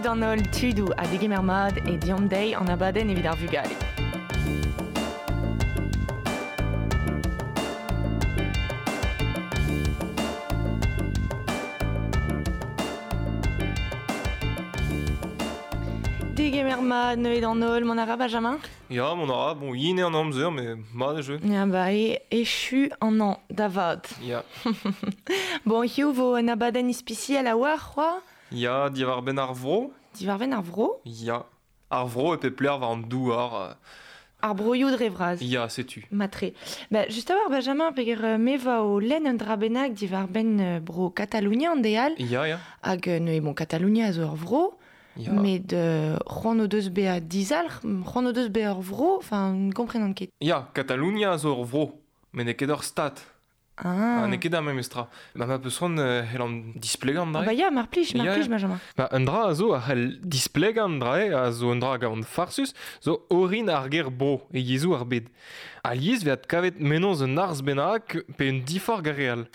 Salut d'an holl tudoù ha degemer mat e Deomp Dezhi an abadenn evit ar vugale. Degemer mat neuze d'an holl, mont a ra Benjamin? Ya, mont a ra, bon, yen eo an amzer, met mat eo jeu. Ya, ba e echu an hañv da vat. Ya. Bon, hiziv vo un abadenn ispisial a-walc'h c'hoazh? Ya, diwar-benn ar vro. Diwar-benn ar vro? Ya. Ar vro e pep lec'h war an douar. Ar broioù dre vras. Ya, setu. Matre. Ba, just a-walc'h, Benjamin, peger me va o lenn un dra bennak diwar-benn bro Katalonia an deiz all. Ya, ya. Hag neuze, bon, Katalonia a zo ur vro. Ya. Met c'hoant o deus bezañ dizalc'h, c'hoant o deus bezañ ur vro, enfin, ne komprenan ket. Ya, Katalonia a zo ur vro, met n'eo ket ur stad. Ah. Ha n'eo ket ar memes tra. Ma ma peus c'hoant e c'hellan displegañ an Ah dra-se. bah ya, mar plij, mar Ya, plij, ya. Benjamin. Ba, un dra a zo a c'hell displegañ an dra-se, a zo un dra a gavan farsus, zo orin ar ger bro e yezhoù ar bed. Alies 'vez adkavet mennozh un arz bennak pe un diforc'h gant re all.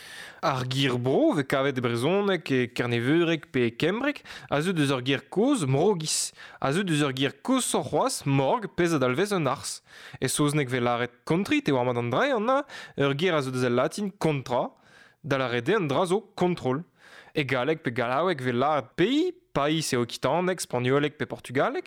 Ar ger bro 'vez kavet e brezhoneg, e kerneveureg pe e kembreg, a zeu deus ur ger kozh, mrogis, a zeu deus ur ger koshoc'h c'hoazh, morg, pezh a dalvez un arz. E saozneg 'vez lâret country, te oar mat an dra eo, ur ger a zeu deus al latin contra, da lâret eo an dra zo kontrol. E galleg pe gallaoueg 'vez lâret pays, país e okitaneg, spagnoleg pe portugaleg.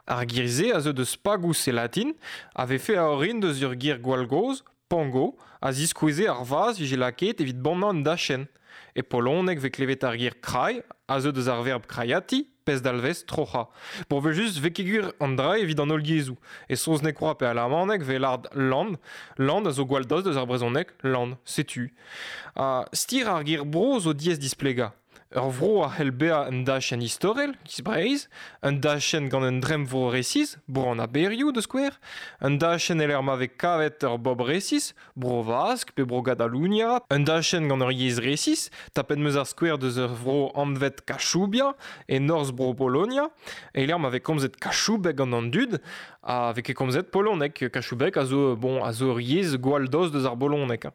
Ar ger-se a zeu deus pagous e latin, a vefe a orin deus ur ger gwall gozh, pango, a ziskoueze ar vazh 'vije lakaet evit bannañ un dachenn. E poloneg 'vez klevet ar ger kraj, a zeu deus ar verb kraiati, pezh dalvez troc'hañ. Bon, evel-just 'vez ket gwir an dra evit an holl yezhoù. E saozneg kwa pe alamaneg 'vez lâret land. Land a zo gwall dost deus ar brezhoneg, land, setu. Ha stir ar ger bro zo diaes displegañ. Ur vro a c'hell bezañ un dachenn istorel, giz Breizh, un dachenn gant un dremmvro resis, bro an aberioù da skouer, un dachenn e-lec'h ma vez kavet ur bobl resis, bro Vask pe bro Gatalunia, un dachenn gant ur yezh resis, tapet 'm eus ar skouer deus ur vro anvet Kachoubia, e norzh bro Polonia, e-lec'h ma vez komzet kachoubeg gant an dud, ha 'vez ket komzet poloneg. Kachoubeg a zo, bon, a zo ur yezh gwall dost deus ar boloneg.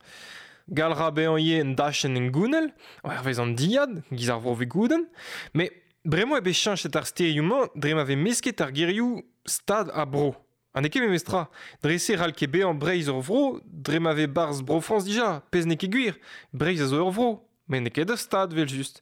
Gall 'ra bezañ ivez un dachenn hengounel, hervez an dilhad, giz ar vro Vigoudenn, met bremañ eo bet cheñchet ar sterioù-mañ dre ma vez mesket ar gerioù stad ha bro. Ha n'eo ket memestra. Dre-se c'hall ket bezañ Breizh ur vro dre ma vez 'barzh Bro-Frañs dija, pezh n'eo ket gwir. Breizh a zo ur vro, met n'eo ket ur stad evel-just.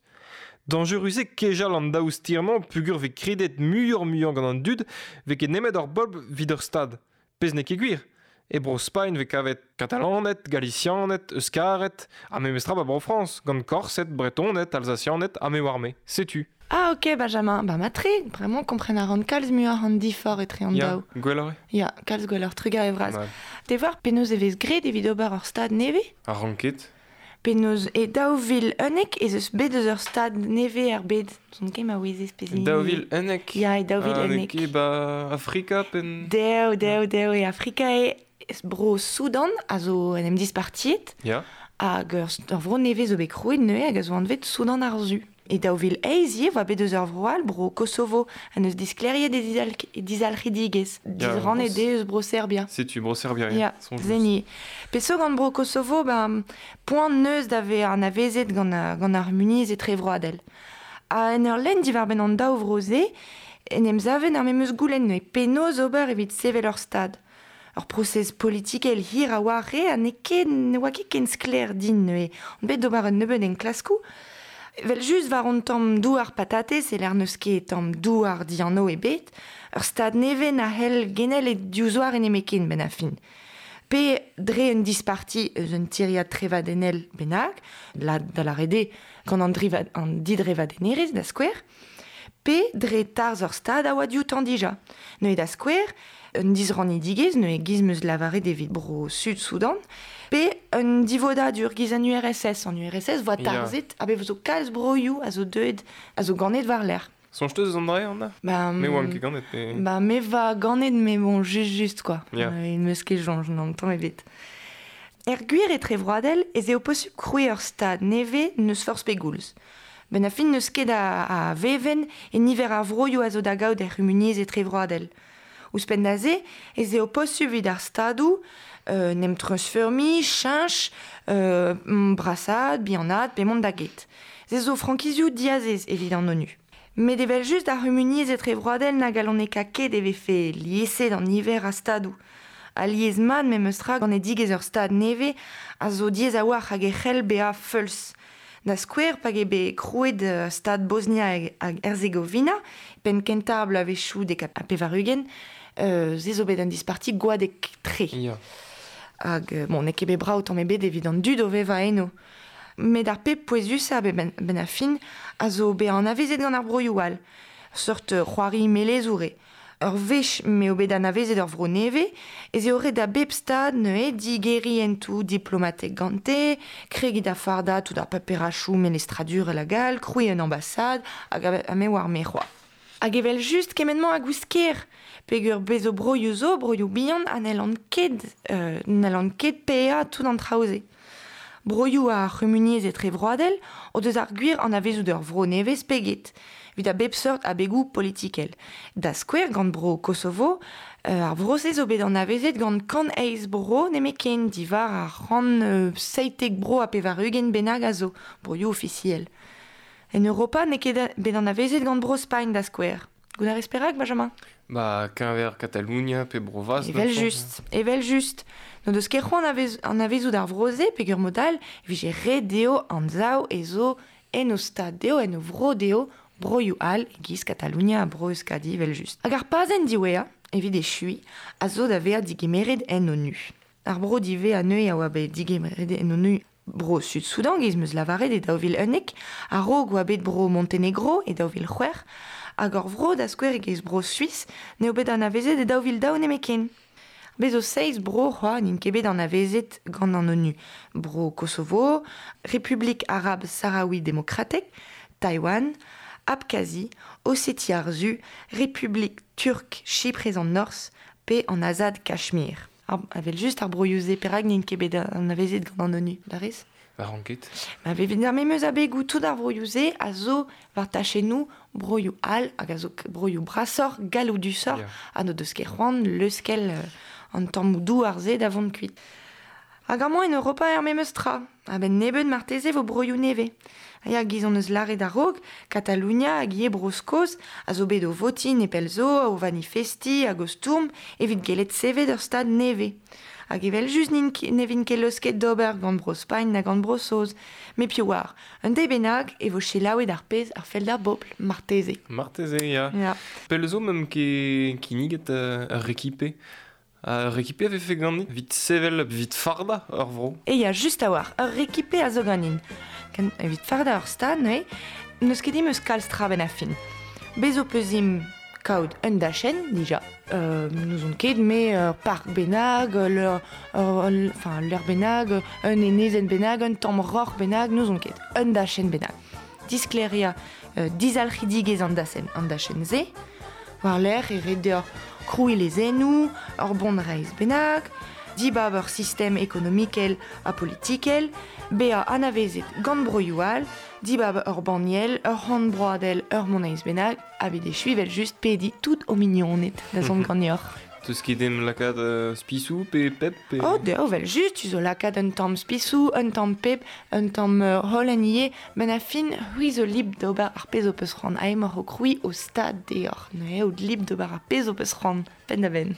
Dañjerus eo kejal an daou ster-mañ peogwir 'vez kredet muioc'h-muiañ gant an dud 'vez ket nemet ur bobl 'vit ur stad. Pezh n'eo ket gwir. E Bro-Spagn 'vez kavet Katalaned, Galisianed, Euskared, ha memestra 'ba Bro-Frañs, gant Korsed, Bretoned, Alzasianed ha me oar-me. Setu. Ah ok Benjamin, bah matre, bremañ kompren a ran kalz muioc'h an diforc'h etre an Ya, daou. gwelloc'h eo. Ya, kalz gwelloc'h, trugarez vras. Mat. Te 'oar penaos e vez graet evit ober ur stad nevez? A ran ket. Penaos e 2011 ez eus bet eus ur stad nevez er bed. N'on ket ma ouezez pezh hini. 2011 Ya, e Ah, n'eo 2011. ket 'ba Afrika penn... Dev, dev, dev e Afrika eo bro Soudan a zo en em dispartiet Ya. hag ur, ur vro nevez zo bet krouet neuze hag a zo anvet Soudan ar Su. E 2008 ivez oa bet eus ur vro all, bro Kosovo, ha neus disklêriet e dizalc'hidigezh. Ya, Disrannet eo eus bro Serbia. Setu bro Serbia, Ya, soñj zeni. Peseurt gant bro Kosovo, ben, poan neus da vezañ anavezet gant, gant ar muniz etrevroadel. Ha en ur lenn diwar-benn an daou vro-se, en em saven ar memes goulenn neuze penaos ober evit sevel ur stad. Ur prosez politikel hir a oa re ha n'eo ket, ne oa ket ken sklaer din neuze. On bet d'ober un nebeud enklaskoù. Evel just war an tamm douar patatez e lec'h n'eus ket tamm douar dianv ebet, ur stad nevez na c'hell genel e diouzh nemetken benn ar fin. Pe dre un disparti eus un tiriad trevadennel bennak, la, da lâret eo gant an, driva, an didrevadennerezh da skouer, pe dre tarzh ur stad a oa dioutañ dija. Neuze da skouer, un disrannidigezh, neuze giz 'm eus lavaret evit bro Sud-Soudan, pe un divodadur giz an URSS. An URSS voa Ya. tarzhet ha bet zo kalz broioù a zo deuet, a zo ganet war-lerc'h. Soñj teus eus an dra Anna? Ba, Me oan ket ganet, mais... Ba, me va ganet, mais bon, juste, juste quoi. Ya. Il meus ket soñj, non, tamm ebet. Er gwir etrevroadel ez eo posupl krouiñ ur stad nevez n'eus forzh pegoulz. Ben a fin n'eus ket a, a vevenn e niver ar vroioù a zo da gaout er c'humuniezh etrevroadel. Ouzhpenn da se, ez eo posupl evit ar stadoù euh, n'em treuzfeurmiñ, cheñch, euh, brasaat, bihanaat pe mont da get. Se zo frankizioù diazez evit an ONU. Met evel just ar c'humuniezh etrevroadel na galoneka ket e vefe lieset an niver a stadoù. Alies mat memes tra ganedigezh ur stad nevez a zo diaes a-walc'h hag e c'hell bezañ feuls. Da skouer pa eo bet krouet stad Bosnia hag Herzegovina, penn kentañ ar bloavezhioù 90, se zo bet un disparti gwadek-tre. Ya. Hag bon, n'eo ket bet brav tamm ebet evit an dud o vevañ eno. Met ar pep pouezusañ benn ar fin a zo bezañ anavezet gant ar broioù all. Seurt c'hoari melezour eo. Ur wech m'eo bet anavezet ur vro nevez, ez eo ret da bep stad neuze digeriñ hentoù diplomatek gante, kregiñ da fardañ tout ar paperachoù melestradurel hag all, krouiñ un ambasad, hag ha me oar me c'hoazh. Hag evel just kement-mañ a goust ker, peogwir bez zo broioù zo, broioù bihan, ha n'hallont ket paeañ tout an traoù-se. Broioù ar c'humuniezh etrevroadel o deus ar gwir anavezout ur vro nevez pe get, evit a bep seurt abegoù politikel. Da skouer gant bro Kosovo, ar vro-se zo bet anavezet gant 108 bro nemetken diwar ar 197 bro ha 80 bennak a zo, broioù ofisiel. En Europa n'eo ket bet anavezet gant bro Spagn da skouer. Goût a rez perak, Benjamin? Ba, keñver Katalonia pe Bro-Vask. Evel just, evel just. N'o deus ket c'hoant anavezout ar vro-se peogwir mod all e vije ret dezho anzav ez zo en o stad dezho, en o vro dezho, broioù all e-giz Katalonia ha Bro-Euskadi evel just. Hag ar pazenn diwezhañ, evit echuiñ, a zo da vezañ digemeret en ONU. Ar bro diwezhañ neuze a oa bet digemeret en ONU bro Sud-Soudan, giz 'm eus lavaret e 2011, a-raok oa bet bro Montenegro e 2006, hag ur vro da skouer e-giz bro Suis n'eo bet anavezet e 2002 nemetken. Bez zo seizh bro c'hoazh n'int ket bet anavezet gant an ONU. Bro Kosovo, Republik Arab Sahraoui Demokratek, Taïwan, Abkhazie, Ossetie ar Su, Republik Turk Chyprez an Norzh pe an Azad Kachmir. Evel just ar broioù-se perak n'int ket bet anavezet gant an ONU, da rez? Ba ket. Ma evit ar memes abegoù tout ar broioù-se a zo war tachennoù broioù all hag a zo broioù brasoc'h, galloudusoc'h, ha n'o deus ket c'hoant leuskel an tammoù douar-se da vont kuit. Hag amañ en Europa er memes tra, a-benn nebeut marteze vo broioù nevez. Ya, giz hon eus lâret a-raok, Katalonia hag ivez Bro-Skos a zo bet o votiñ nepell zo, o vanifestiñ hag o stourm evit gellet sevel ur stad nevez. Hag evel just ne vint ket leusket d'ober gant Bro-Spagn na gant Bro-Saoz. Met piv oar, un deiz bennak e vo selaouet ar pezh a fell d'ar bobl, marteze. Marteze, ya. Ya. Pell zo meump ket kinniget ur rekipe. Ur rekipe a vefe ganit evit sevel, evit fardañ ur vro. E ya, just a-walc'h, ur rekipe a zo ganin. Evit fardañ ur stad, neuze, n'eus ket dimp eus kalz tra benn ar fin. Bez zo peus dimp kaout un dachenn, dija. N'ouzon ket, me ur park bennak, enfin, leur bennak, un enezenn bennak, un tamm roc'h bennak, n'ouzon ket, un dachenn bennak. Disklêriañ dizalc'hidigezh an dachenn, an dachenn-se, war-lerc'h e ret deoc'h krouiñ lezennoù, ur bonreizh bennak, dibab ur sistem ekonomikel ha politikel, bezañ anavezet gant broioù all, dibab ur banniel, ur c'han broadel, ur moneiz bennak, ha bet echuiñ evel just pediñ tout ho mignoned da zont ganeoc'h. Teus ket em lakaat spisou pe pep pe... Oh, dezho evel just, tu zo lakaat un tamm spisou, un tamm pep, un tamm holen ivez, benn ar fin, c'hwi zo lib d'ober ar pezh ho peus c'hoant. Ha emaoc'h o krouiñ ho stad deoc'h. Neuze out lib d'ober ar pezh ho peus c'hoant, penn-da-benn.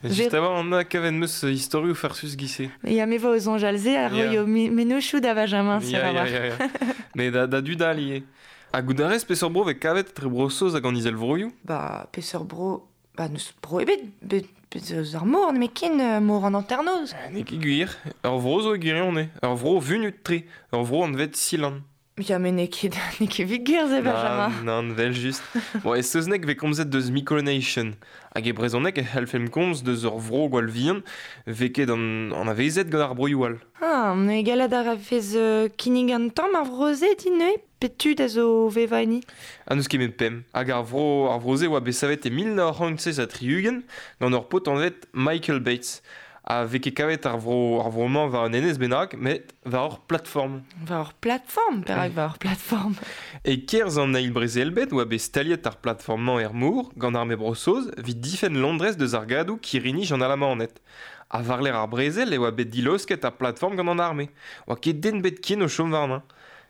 Just a-walc'h an kavet 'meus istorioù farsus giz-se. Ya, me vo o soñjal se a roio mennozhioù da Benjamin, sur a-walc'h. Ya. Mais da dud all ivez. Ha goût a rez peseurt bro vez kavet etre Bro-Saoz hag an Izelvroioù? Ba, peseurt bro... Ba, n'eus bro ebet, bet eus ar mor, nemetken mor an hanternoz. N'eo ket gwir. Ur vro zo e gwirionez. Ur vro vunut-tre. Ur vro anvet Sealand. Ya, met n'eo ket evit gwir se, Benjamin. Nann, vel just. Bon, e saozneg vez komzet deus Micronation. Hag e brezhoneg e c'hallfemp komz deus ur vro gwall vihan vez ket anavezet gant ar broioù all. Ah, me gallet a rafez kinnig an tamm ar vro-se din neuze? Pet tud a zo vevañ enni? Ha n'eus ket met pemp. Hag ar vro-se oa bet savet e 1967 gant ur paotr anvet Michael Bates. Ha vez ket kavet ar vro-mañ war un enez bennak, met war ur plateforme. War ur plateforme? Perak war ur plateforme? E-kerzh an eil brezel-bed oa bet staliet ar plateforme-mañ er mor gant arme Bro-Saoz evit difenn Londrez deus argadoù kirri-nij an Alamaned. Ha war-lerc'h ar brezel e oa bet dilaosket ar plateforme gant an arme. Oa ket den bet ken o chom warnañ.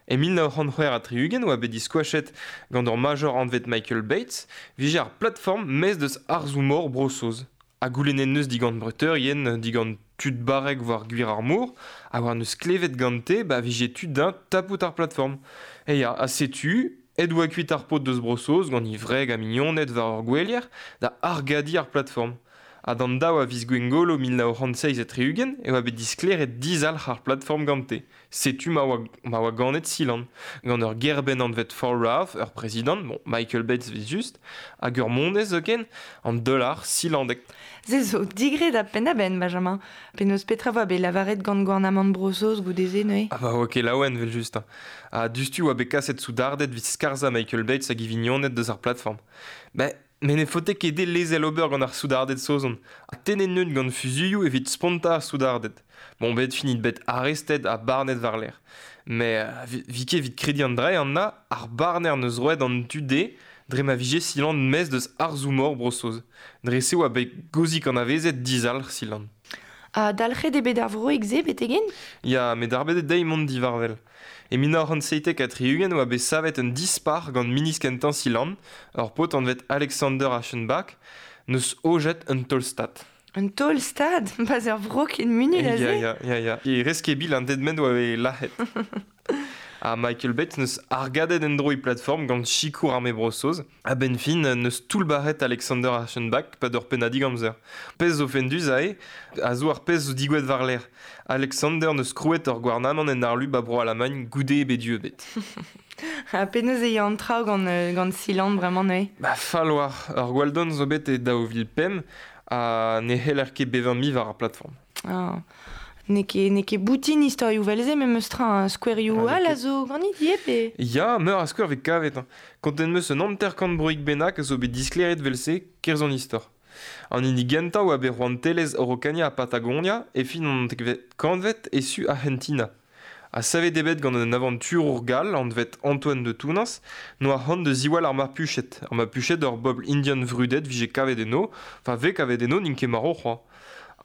E 1960 oa bet diskoachet gant ur major anvet Michael Bates, vije ar plateforme mez deus arzoù-mor Bro-Saoz. Ha goulennet neus digant breteurien, digant tud barrek war gwir ar mor, ha war neus klevet gante, ba vije tud d'un tapout ar plateforme. E ya, ha setu, ed oa kuit ar paotr deus Bro-Saoz gant e wreg ha mignoned war ur gwelier da argadiñ ar plateforme. Ha d'an daou a viz Gwengolo 1967 e oa bet disklêriet dizalc'h ar plateforme gante. Setu ma oa ganet Sealand, gant ur gêr-benn anvet Fort Routh, ur prezidant, bon, Michael Bates 'vez just, hag ur monez zoken, an dollar sealandek. Se zo digred ha penn-da-benn, Benjamin. Penaos petra 'voa bet lavaret gant gouarnamant Bro-Saoz goude-se neuze? Ah bah oa ket laouen 'vel just. Ha diouzhtu oa bet kaset soudarded 'vit skarzhañ Michael Bates hag e vignoned deus ar plateforme. Ben, Met ne faote ket dezhe lezel ober gant ar soudarded saozon, ha tennet neunt gant fuzuilhoù evit spontañ ar soudarded. Bon, bet finit bet arrestet ha barnet war-lerc'h. Met vi ket evit krediñ an dra Anna, ar barner 'neus roet an tu dezhe dre ma vije Sealand maez deus harzoù-mor Bro-Saoz. Dre-se oa bet gozik anavezet dizalc'h Sealand. Ha dalc'het eo bet ar vroig-se betek-henn? Ya, met darbet eo dezhi mont diwar-wel. E 1977 oa bet savet un dispac'h gant ministr kentañ Sealand, ur paotr anvet Alexander Aschenbach, 'neus aojet un taol-stad. Un taol-stad? Pas ur vro ken munut aze? Ya, ya, ya, ya. E reske-bil an den-men oa bet lazhet. Ha Michael Bates 'neus argadet en-dro e plateforme gant sikour arme Bro-Saoz. A-benn fin 'neus toullbac'het Alexander Aschenbach 'pad ur pennadig amzer. Pezh zo fendus aze, a zo ar pezh zo digouezhet war-lerc'h. Alexander 'neus krouet ur gouarnamant en harlu 'ba Bro-Alamagn goude e bet dieubet. Ha penaos e ya an traoù gant, gant Sealand bremañ neuze? Ba fall oar. Ur gwall-don zo bet e 2005 ha ne c'heller ket bevañ mui war ar plateforme. Ah. N'eo ket, n'eo ket boutin istorioù 'vel-se memes tra, hein. Skouerioù all a zo ganit ivez pe? Ya, meur a skouer 'vez kavet. Hein. Kontet 'm eus un hanter-kant broig bennak a zo bet disklêriet 'vel-se 'kerzh an istor. An hini gentañ oa bet rouantelezh Araucania ha Patagonia e fin an dekvet kantved e su Arc'hentina. Ha savet eo bet gant un avanturour gall anvet Antoine de Tounens n'oa c'hoant da ziwall ar Mapuched. Ar Mapuched ur bobl indian vrudet 'vije kavet eno, enfin 'vez kavet eno n'int ket marv c'hoazh.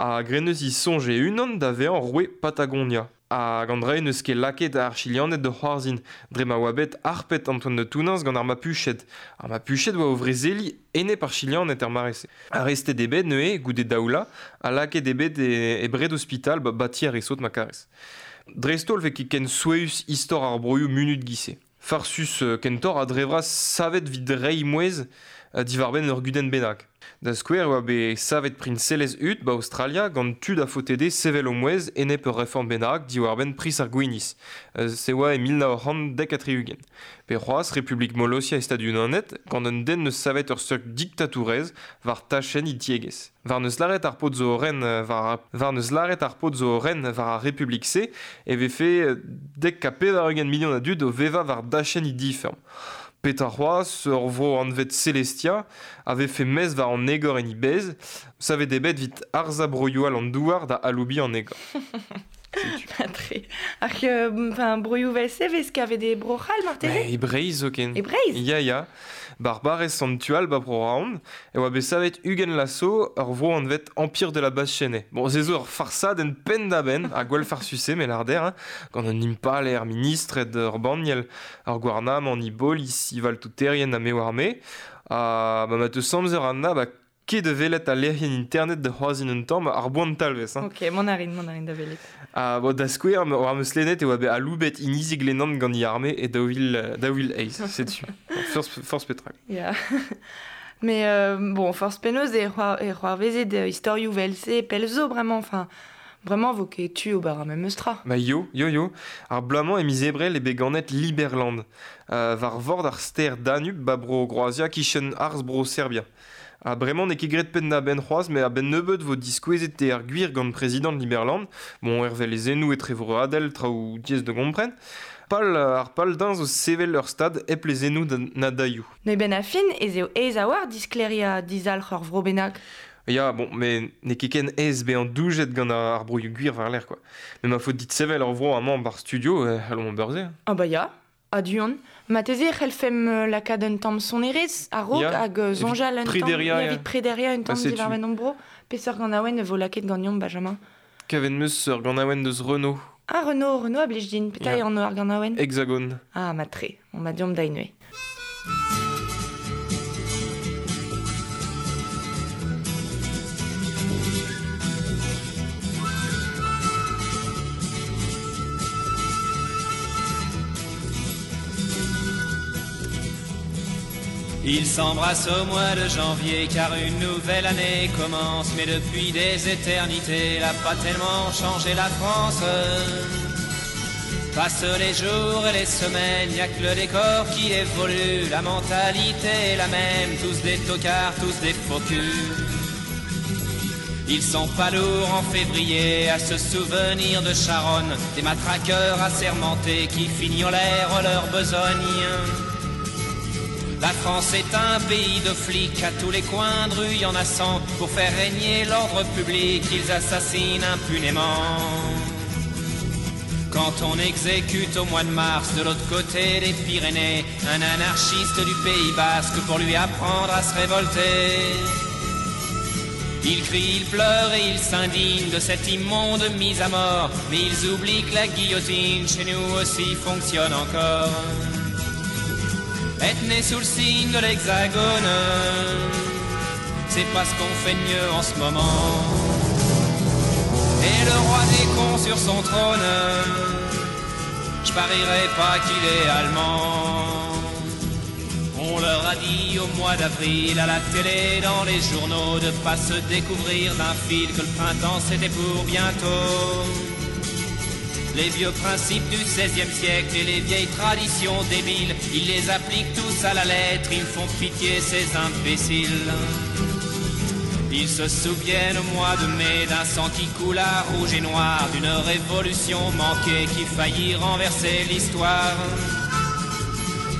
Ha graet 'neus he soñj e-unan da vezañ roue Patagonia. Hag an dra n'eus ket lakaet ar Chilianed da c'hoarzhin dre ma oa bet harpet Antoine de Tounens gant ar Mapuched. Ar Mapuched oa o vrezeliñ enep ar Chilianed er mare-se. Arrestet eo bet neuze goude daoula ha lakaet eo bet e bred ospital ba ti ar re sot ma karez. Dreist-holl 'vez ket ken souezhus istor ar broioù munut 'giz-se. Farsus kentoc'h ha dre vras savet evit reiñ mouezh diwar-benn ur gudenn bennak. Da skouer e oa bet savet priñselezh Ut 'ba Aostralia gant tud a faote dezhe sevel o mouezh enep ur reform bennak diwar-benn priz ar gwinizh. Se oa e 1970. Pe c'hoazh Republik Molossia e Stadoù-Unanet gant un den 'neus savet ur seurt diktatourezh war tachenn he tiegezh. War 'neus lâret ar paotr zo o ren war war 'neus lâret ar paotr zo o ren war ar Republik-se e vefe 90 milion a dud o vevañ war dachenn he difeurm. Petra c'hoazh, ur vro anvet Celestia a vefe mezv war an egor en he bezh, savet eo bet evit harzañ broioù all an douar da aloubiñ an egor. Tre. Ar enfin, broioù vel-se 'vez kavet e Bro-C'hall marteze? E Breizh zoken. E Breizh? Ya, ya. Barbarez Sant-Tual 'ba Bro-Raon e oa bet savet 20 laso ur vro anvet Empire de la Basse-Chênaie. Bon, se zo ur farsadenn penn-da-benn ha gwall farsus-se, me lâr dec'h, hein, gant un impalaer, ministred, ur banniel, ur gouarnamant, e bolis, e valtouterien ha me oar me. Ha ba ma teus amzer Anna, ba ket da welet al lec'hienn internet da c'hoarzhin un tamm ar boan talvez. Hein. Ok, mont a rin, mont a rin da welet. Ha bon, da skouer, war 'm eus lennet e oa bet aloubet inizi Glenan gant e arme e 2008, setu. Forzh petra. Ya. Mais bon, forzh penaos e c'hoarvezet istorioù 'vel-se pell zo bremañ, enfin, bremañ 'vo ket tu ober ar memes tra. Ba yo, yo, yo. Ar bloaz-mañ e miz Ebrel eo bet ganet Liberland, war vord ar stêr Danub 'ba bro-Groazia 'kichen harz bro-Serbia. Ha bremañ n'eo ket graet penn-da-benn c'hoazh, met a-benn nebeut 'vo diskouezet eo ar gwir gant prezidant Liberland, bon hervez lezennoù etrevroadel, traoù diaes da gompren. Pal ar pal din zo sevel ur stad hep lezennoù na dailhoù. Neuze benn ar fin ez eo aes a-walc'h disklêriañ dizalc'h ur vro bennak. Ya, bon, met n'eo ket ken aes bezañ doujet gant ar broioù gwir war-lerc'h, quoi. Met ma faot dit sevel ur vro amañ 'barzh studio, e c'hallomp ober se. Ah bah ya, a-du on. Marteze e c'hellfemp lakaat un tamm sonerezh a-raok hag soñjal un tamm evit prederiañ un tamm diwar-benn hon bro. Peseurt ganaouenn e vo lakaet ganeomp, Benjamin? Kavet 'm eus ur ganaouenn deus Renaud. Ah, Renaud, Renaud a blij din, petra Ya. eo anv ar ganaouenn? Hexagone. Ah, mat-tre, on ma deomp da inoué. Ils s'embrassent au mois de janvier car une nouvelle année commence. Mais depuis des éternités, elle n'a pas tellement changé la France. Passent les jours et les semaines, y a que le décor qui évolue. La mentalité est la même, tous des tocards, tous des faux culs. Ils sont pas lourds en février à se souvenir de Charonne, des matraqueurs assermentés qui fignolèrent leur besogne. La France est un pays de flics, à tous les coins de rue y en a 100. Pour faire régner l'ordre public, ils assassinent impunément. Quand on exécute au mois de mars de l'autre côté des Pyrénées un anarchiste du Pays Basque pour lui apprendre à se révolter. Il crie, il pleure et il s'indigne de cette immonde mise à mort. Mais ils oublient que la guillotine chez nous aussi fonctionne encore. Être né sous le signe de l'hexagone, c'est pas ce qu'on fait de mieux en ce moment. Et le roi des cons sur son trône, je parierais pas qu'il est allemand. On leur a dit au mois d'avril, à la télé, dans les journaux, de pas se découvrir d'un fil que le printemps c'était pour bientôt. Les vieux principes du XVIe siècle et les vieilles traditions débiles, ils les appliquent tous à la lettre, ils me font pitié ces imbéciles. Ils se souviennent au mois de mai d'un sang qui coula rouge et noir, d'une révolution manquée qui faillit renverser l'histoire.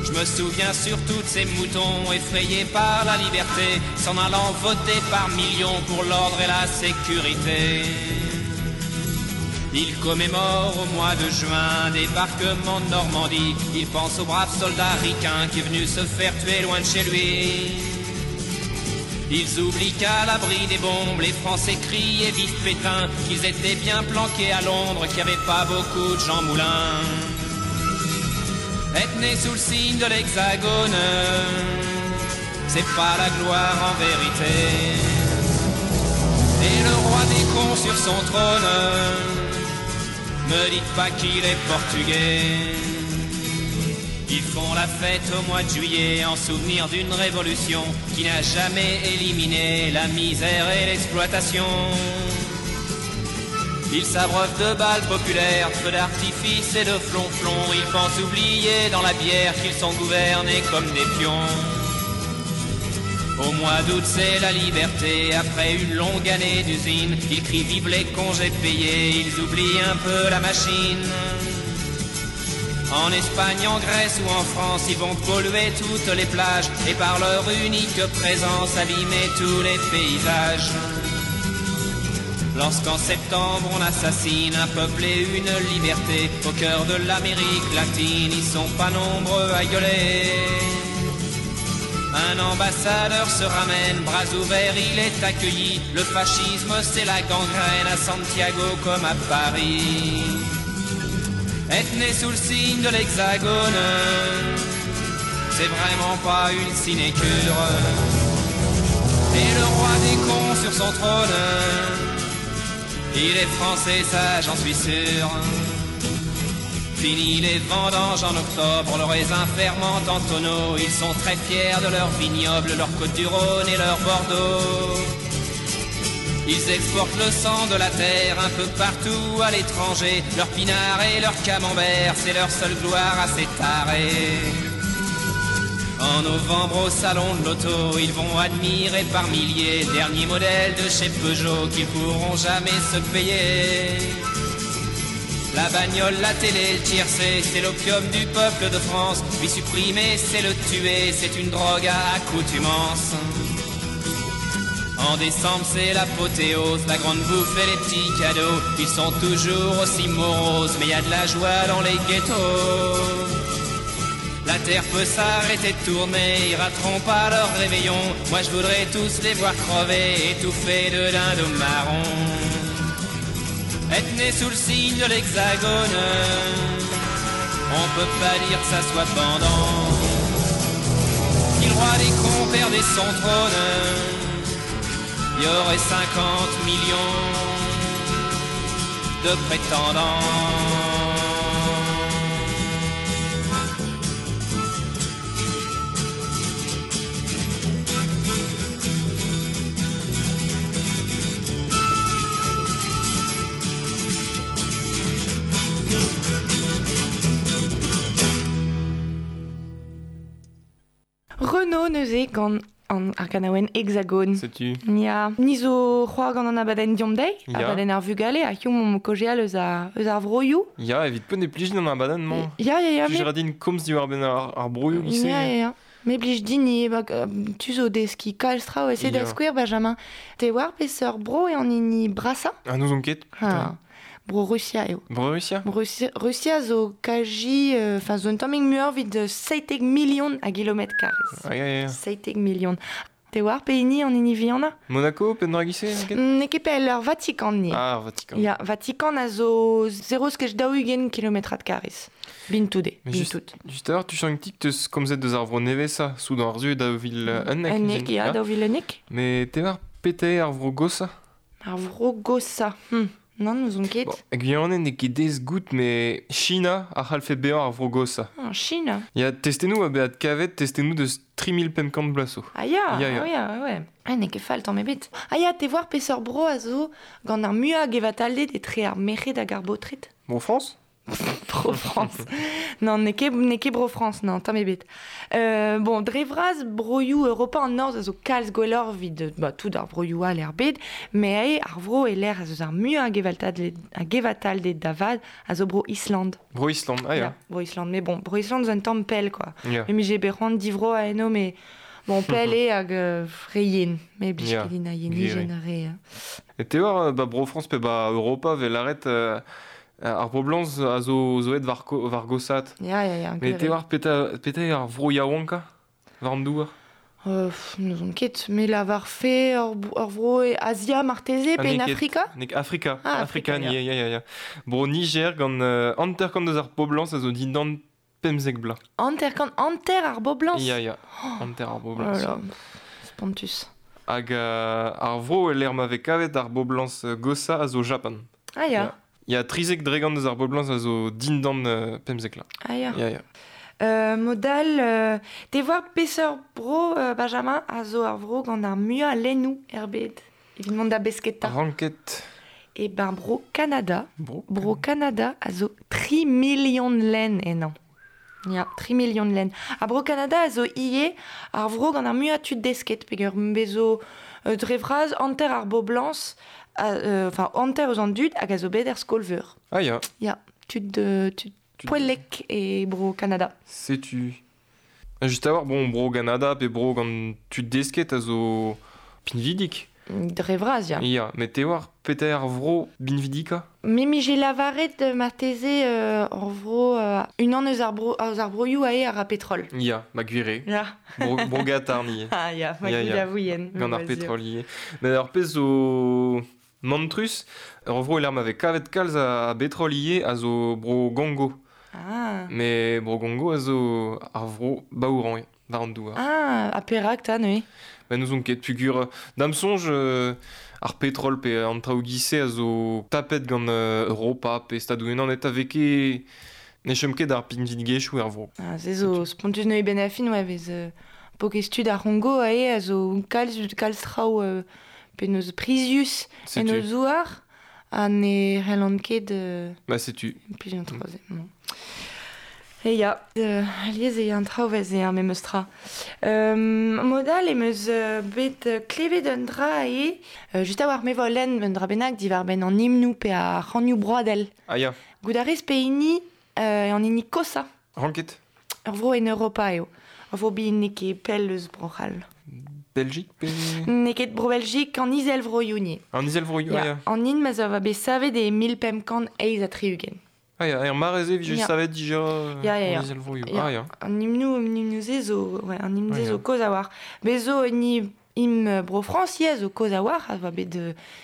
Je me souviens surtout de ces moutons effrayés par la liberté, s'en allant voter par millions pour l'ordre et la sécurité. Ils commémorent au mois de juin débarquement de Normandie. Ils pensent au brave soldat ricain qui est venu se faire tuer loin de chez lui. Ils oublient qu'à l'abri des bombes, les Français crient et vivent Pétain, qu'ils étaient bien planqués à Londres, qu'il n'y avait pas beaucoup de Jean Moulin. Être né sous le signe de l'hexagone, c'est pas la gloire en vérité. Et le roi des cons sur son trône, me dites pas qu'il est portugais. Ils font la fête au mois de juillet en souvenir d'une révolution qui n'a jamais éliminé la misère et l'exploitation. Ils s'abreuvent de balles populaires, de feux d'artifice et de flonflons. Ils pensent oublier dans la bière qu'ils sont gouvernés comme des pions. Au mois d'août, c'est la liberté. Après une longue année d'usine, ils crient vive les congés payés. Ils oublient un peu la machine. En Espagne, en Grèce ou en France, ils vont polluer toutes les plages et par leur unique présence abîmer tous les paysages. Lorsqu'en septembre on assassine un peuple et une liberté, au cœur de l'Amérique latine, ils sont pas nombreux à gueuler. Un ambassadeur se ramène, bras ouverts, il est accueilli. Le fascisme, c'est la gangrène à Santiago comme à Paris. Être né sous le signe de l'hexagone, c'est vraiment pas une sinécure. Et le roi des cons sur son trône, il est français, ça j'en suis sûr. Fini les vendanges en octobre, le raisin fermente en tonneau. Ils sont très fiers de leur vignoble, leur Côte-du-Rhône et leur Bordeaux. Ils exportent le sang de la terre un peu partout à l'étranger. Leur pinard et leur camembert, c'est leur seule gloire à ces tarés. En novembre au salon de l'auto, ils vont admirer par milliers le dernier modèle de chez Peugeot qu'ils pourront jamais se payer. La bagnole, la télé, le tiercé, c'est l'opium du peuple de France. Lui supprimer, c'est le tuer, c'est une drogue à accoutumance. En décembre, c'est l'apothéose, la grande bouffe et les petits cadeaux. Ils sont toujours aussi moroses, mais y a de la joie dans les ghettos. La terre peut s'arrêter de tourner, ils rateront pas leur réveillon. Moi je voudrais tous les voir crever, étouffés de dindon marron. Être né sous le signe de l'hexagone, on peut pas dire que ça soit pendant. Si le roi des cons perdait son trône, il y aurait 50 millions de prétendants. Renaud neuze gant an ar ganaouenn Hexagone. Setu. Ya, ni zo c'hoar gant an abadenn diomp dezhi, Ya. abadenn ar vugale, ha hiziv omp kaozeal eus ar vroioù. Ya, evit poent e plij din an abadenn-mañ. Ya, ya, ya, Plij ra din komz diwar-benn ar broioù gise. Ya, ya, ya. Me blij din ivez, ba, tu zo deskiñ kalz traoù, ese da Ya. skouer, Benjamin. Te war peseurt bro eo an hini brasañ? Ah, n'ouzon ket. Ha. Bro Rusia eo. Bro Rusia? Rusia zo kaji, enfin zo un tammig muioc'h evit 17 million a gilometr karrez. Ah, ya, ya, ya. 17 million. Te war pe hini an hini vihanañ? Monaco, pe dra gise, ket? N'eo ket pell ar Vatikan ni. Ah, ar Vatikan. Ya, Vatikan a zo 0,40 kilometrad karrez. Bintoude, Mais juste, bintout. juste alors, tu sens ket teus komzet deus ar vro nevez-sa, soudan ar zu da vil unnek. Unnek, ya, daou vil unnek. Mais te war pete ar vro gosa? Ar vro gosa. Non, n'ouzon ket. Bon, Guyane n'eo ket dez gout, mais China a c'hallfe bezañ ar vro gosa. Ah, China. Ya, testennoù a bezañ kavet, testennoù deus 3500 blaso. Ah ya, Ya, ya. ah ya, ouais. Ah, n'eo ket fall tamm ebet. Ah ya, te war peseurt bro a zo gant ar muiañ gevatalded etre ar merc'hed hag ar baotred. Bro France? Bro France. Non, n'eo ket bro France, non, tamm ebet. Bon, dre vras broioù Europa an Norzh a zo kalz gwelloc'h evit, ba, tout ar broioù all er bed, mais ae ar vro e lec'h a zo ar muiañ a gevatalded da vat a zo bro Island. Bro Island, ah ya. Ya, bro Island, mais bon, bro Island zo un tamm pell, quoi. Ya. Me mije bet c'hoant divro a eno, mais bon, pell eo hag re yen. Me blij Ya, ket din a gwir yenijenn re. E te war, ba, bro France pe ba Europa vel arret ar boblañs a zo zo et war gosat. Ya, ya, ya. Mais gwir te eo. war peta eo ar vro yaouanka war an douar? N'ouzon ket, me lavar fe ur vro e Asia marteze Ah, pe en n'eo ket. Afrika? N'eo ket Afrika, Ah, Afrika, Afrika, ni, ya, ya, ya. Bro Niger gant hanter-kant deus ar poblañs a zo dindan pemzek bla. Hanter-kant, hanter ar boblañs? Ya, ya, hanter ar Oh boblañs. là là, spontus. Hag ar vro e lec'h ma vez kavet ar boblañs gosa a zo Japan. Ah ya. Ya. Ya trizek dregant deus ar boblañs a zo dindan pemzek la. Ah ya. Ya, ya. Modal, te war peseurt bro, Benjamin, a zo ar vro gant ar muiañ a lennoù er bed. Evit mont da besketa. Ranket. E ben bro Canada. Bro. Bro Canada a zo 3 million lenn ennañ. Ya, 3 million lenn. Ha bro Canada a zo ivez ar vro gant ar muiañ tud desket, peogwir bezo dre vras hanter ar boblañs, enfin hanter eus an dud hag a zo bet er skol-veur. Ah ya. Ya, tud tud Tud- poellek e bro Canada. Setu. Just a war, bon, bro Canada pe bro gant tud desket a zo pinvidik. Dre vras, ya. Ya, met te war peta ar vro binvidika? Me mije lavaret marteze ar vro unan eus ar bro, eus ar broioù ae ar a petrol. Ya, ma gwir eo. Ya. Bro Gatar ni. Ah ya, ma Ya, gwir ya. a vouien. Gant ar petrol ivez. Met ar pezh zo mantrus, ar vro e lec'h ma vez kavet kalz a betrol ivez a zo bro Gongo. Ah. Mais bro Gongo a zo ar vro baourañ war an douar. Ah, ha perak ta neuze? Ba n'ouzon ket pugur da'm soñj ar petrol pe an traoù gise a zo tapet gant Europa pe Stadoù-Unanet eta vez ket ne chom ket ar pinvidigezhioù er vro. Ah, se zo spontus neuze ben a fin, ouais, vez pokez tud ar C'hongo ae a zo kalz traoù pe neus prizius en o Setu. zouar ha ne c'hellan ket Ba setu. Puis un troisième. Bon. E ya, alies e an traoù vez e ar memes tra. Modal em eus bet klevet un dra e, just a war me vo lenn un dra bennak diwar benn an himnoù pe ar c'hanioù broadel. Ah ya, Gout a rez pe hini an hini kosa. ranket. Ur vro en Europa eo. Ur vro bihan n'eo ket pell eus Bro-C'hall. Belgique pe... N'eo ket Bro-Belgique an Izelvroioù ni. An Izelvroioù, ah ya. An hin ma zo va bet savet e 1538. Ah ya, er mare-se vije Ya. savet dija Ya, ya, ya. an Izelvroioù. Ya. Ah ya. An himnoù, an himnoù-se zo, ouais, an himnoù-se Ouais, zo ya. kozh a war. Bez zo hini Hymn bro Frañs ivez a zo kozh a-walc'h, a oa bet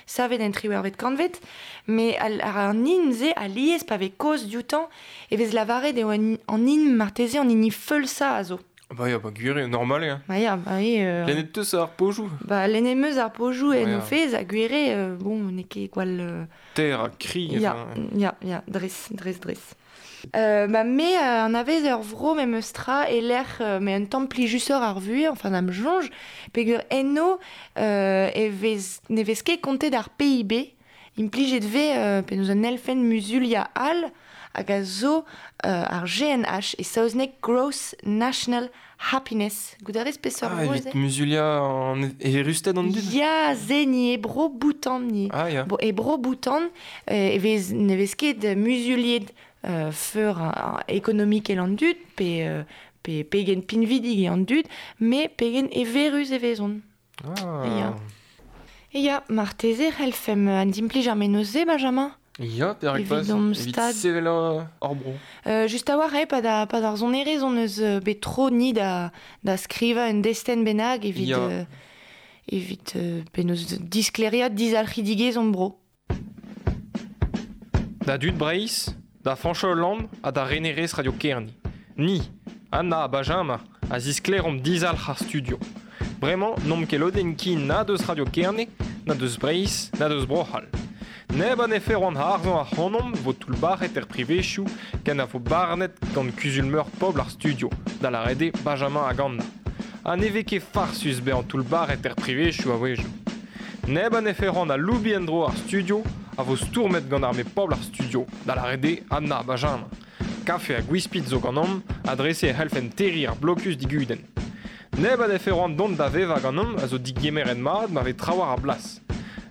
savet en triwec'hvet kantved, met an hymn-se alies pa vez kaoz dioutañ e vez lavaret eo an hymn marteze an hini feulsañ a zo. Ba ya, ba gwir eo, normal eo. Ba ya, ba eo. Lennet 'teus ar pozioù? Ba lennet 'm eus ar pozioù en o fezh ha gwir eo, bon, n'eo ket gwall... Ter ha kri. Ya, ya, ya, dres, dres, dres. Ba me anavez ur vro memes tra e-lec'h m'eo un tamm plijusoc'h ar vuhez, enfin da'm soñj, peogwir eno e vez ne vez ket kontet ar PIB, implijet 'vez penaos un elfenn muzuliañ all hag a zo ar GNH e saozneg Gross National Happiness. Goût a rez peseurt ah, evit muzuliañ an eürusted an dud? Ya, se ni e bro Bhoutan ni. Ah, ya. Bo, e bro Bhoutan e vez, ne vez ket muzuliet feur ekonomikel an dud pe, pe pegen pinvidik eo an dud, met pegen everus e vezont. Ah. Ya. Ya, marteze c'hellfemp adimplij ar mennozh-se, Benjamin? Ya, perak pas, evit sevel hor bro. Just a-walc'h eo, pa ar sonerezh hon eus bet tro ni da, da skrivañ un destenn bennak evit, ya. Evit penaos disklêriañ dizalc'hidigezh hon bro. Da dud Breizh, da Fañch Hollande ha da renerez Radio Kerne. Ni, Anna ha Benjamin, a zisklêromp dizalc'h ar studio. Bremañ n'omp ket lodenn ken na deus Radio Kerne, na deus Breizh, na deus Bro-C'hall. Neb a nefe c'hoant harzañ ac'hanomp vo toullbac'het er privezioù ken a vo barnet gant kuzul-meur pobl ar studio, da lâret eo Benjamin hag Anna. Ha ne vez ket farsus bezañ toullbac'het er privezioù a-wezhioù. Neb a nefe c'hoant aloubiñ en-dro ar studio a vo stourmet gant arme pobl ar studio, da lâret eo Anna ha Benjamin. Kafe ha gwispid zo ganeomp, ha dre-se e c'hellfemp terriñ ar blokus digudenn. Neb a nefe c'hoant dont da vevañ ganeomp a zo digemeret mat ma vez trawalc'h a blas.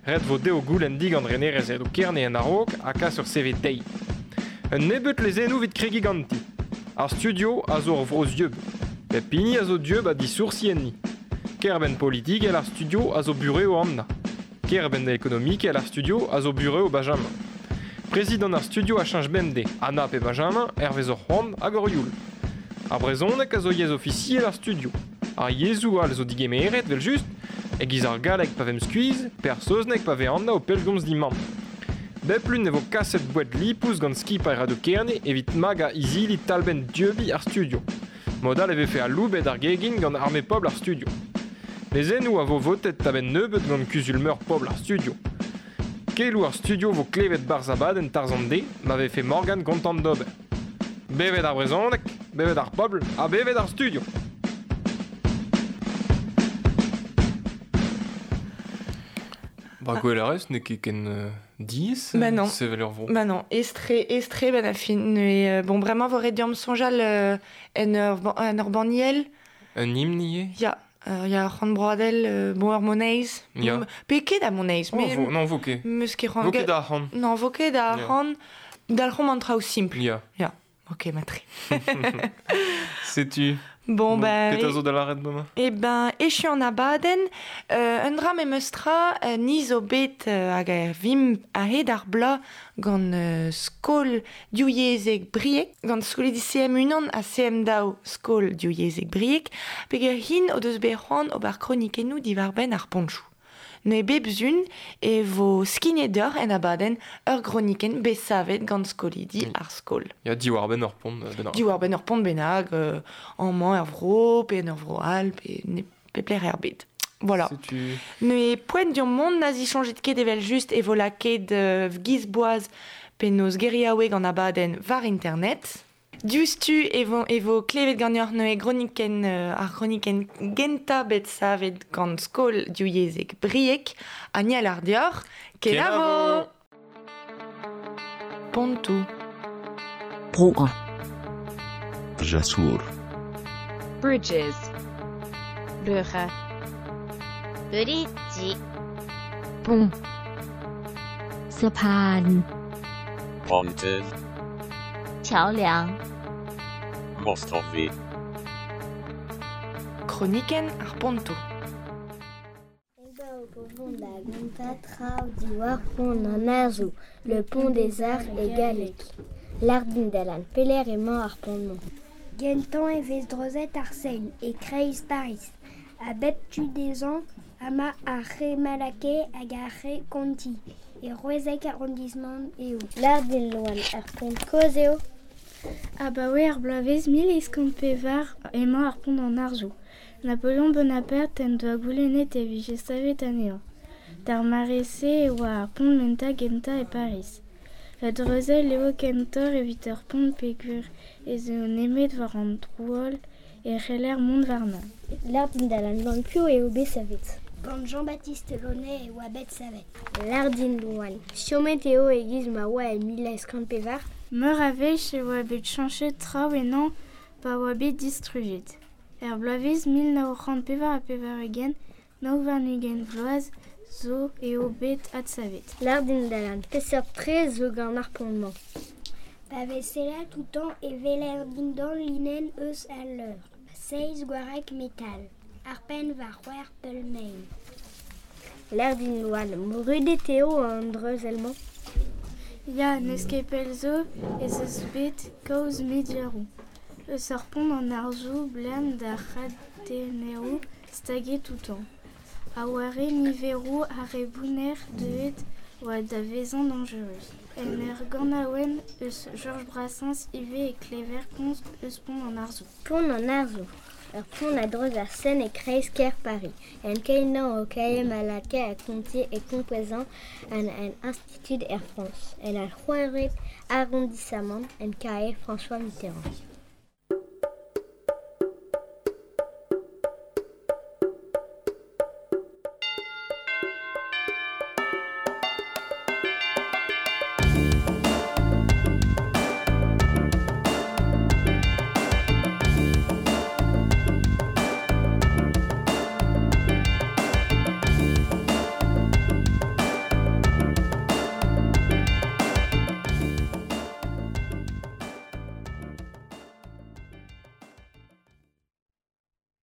Ret vo dezho goulenn digant renerez Radio Kerne en a-raok ha kas ur CV dezhi. Un nebeud lezennoù evit kregiñ ganti. Ar studio a zo ur vro zieub. Pep hini a zo dieub ha disoursi enni. Kêr-benn politikel ar studio a zo burev Anna. Kêr-benn ekonomikel ar studio a zo burev Benjamin. Prezidant ar studio a cheñch bemdez, Anna pe Benjamin, hervez hor c'hoant hag hor youl. Ar brezhoneg a zo yezh ofisiel ar studio. Ar yezhoù all zo digemeret, evel-just, e-giz ar galleg pa vemp skuizh, pe ar saozneg pa vez Anna o pellgomz d'he mamm. Bep lun e vo kaset boued lipous gant skipailh Radio Kerne evit magañ izili talbenn dieubiñ ar studio. Mod all e vefe aloubet ar gegin gant arme pobl ar studio. Lezennoù a vo votet a-benn nebeut gant kuzul-meur pobl ar studio. Keloù ar studio vo klevet 'barzh abadenn Tarzh an Deiz ma vefe Morgan kontant d'ober. Bevet ar brezhoneg, bevet ar pobl ha bevet ar studio! Ba gwell a rez, n'eo ket ken diaes Bah non. sevel ur vro. Bah non, estre, estre ben a fin. Mais, bon, bremañ vo ret deomp soñjal en ur, en ur banniel. Un hymne ivez? Ya, ya ur c'hant broadel, bon, ur moneiz. Ya. Pe ket a moneiz, Oh, mais vo, non, vo ket. meus ket c'hoant. Vo ket arc'hant. Non, vo ket arc'hant. Dalc'homp an traoù simpl. Ya. Ya. Ok, matre. Setu. Bon, ben... Petra zo da lâret bremañ? Eh ben, echu an abadenn, un dra memes tra, ni zo bet hag a vimp a-hed ar bloaz gant skol divyezhek Brieg, gant skolidi CM1 ha CM2 skol divyezhek Brieg, peger hin o deus bet c'hoant ober kronikennoù diwar-benn ar ponchoù. Neuze bep sun e vo skignet deoc'h en abadenn ur gronikenn bet savet gant skolidi ar skol. Ya, diwar-benn ur pont bennak. Diwar-benn ur pont bennak, amañ er vro, pe en ur vro all, pe ne pep lec'h er bed. Voilà. Setu... Neuze poent deomp mont na zisoñjit ket evel-just e vo lakaet giz boaz penaos geriaoueg an abadenn war internet. Diouzhtu e vo, e vo klevet ganeoc'h neuze gronikenn, ar gronikenn gentañ bet savet gant skol divyezhek Brieg ha ni a lâr deoc'h kenavo! Pontoù. Broer. Jasour. Bridges. Brugge. Bridge. Pont. สะพาน Pontydd. 桥梁。 Mostowy. Kronikenn ar pontoù. Le pont des arts est galleg. Lardin dalan peler emañ ar pont-mañ. Gentañ e vez dreuzet ar Seine e kreiz Pariz. A bep tu dezhañ Ama ar re Malaquais hag ar re Conti. E c'hwezek arrondissement eo. Lâr din Loan, ar pont kozh eo? Abaoe ar bloavezh 1804 emañ ar pont an Arzoù. Napoleon Bonaparte en doa goulennet e vije savet anezhañ. D'ar mare-se e oa ar pont mentañ gentañ e Pariz. Un dreuzell eo kentoc'h evit ur pont peogwir ez eo nemet war an droual e c'heller mont warnañ. Lâr din Alan, gant piv eo bet savet? Gant Jean-Baptiste Launay e oa bet savet. Lâr din Loan, chomet eo e-giz ma oa e 1804? Meur a wech e oa bet cheñchet traoù ennañ pa oa bet distrujet. Er bloavezh 1984, 29 vloaz zo eo bet adsavet. Lâr din Alan, peseurt tres zo gant ar pont-mañ? Pa vez sellet outañ e weler dindan linenn eus al leur. Seizh gwareg metal. Ar penn war c'hwec'h peul-mein. Lâr din Loan, brudet eo an dreuzell-mañ? Ya, n'eus ket pell zo ez eus bet kaoz mediaoù. Eus ar pont an Arzoù 'blam d'ar chadenneroù staget outañ. A oare niveroù ar re bounner deuet oa da vezañ dañjerus. En ur ganaouenn eus Georges Brassens ivez e klever komz eus pont an Arzoù. Pont an Arzoù. Ur pont a-dreuz ar Seine e kreiz-kêr Pariz. En keinañ o kae Malaquais ha Conti e kompouezañ an an Institut Air France. En ar c'hwec'hvet arrondissamant en kae François Mitterrand.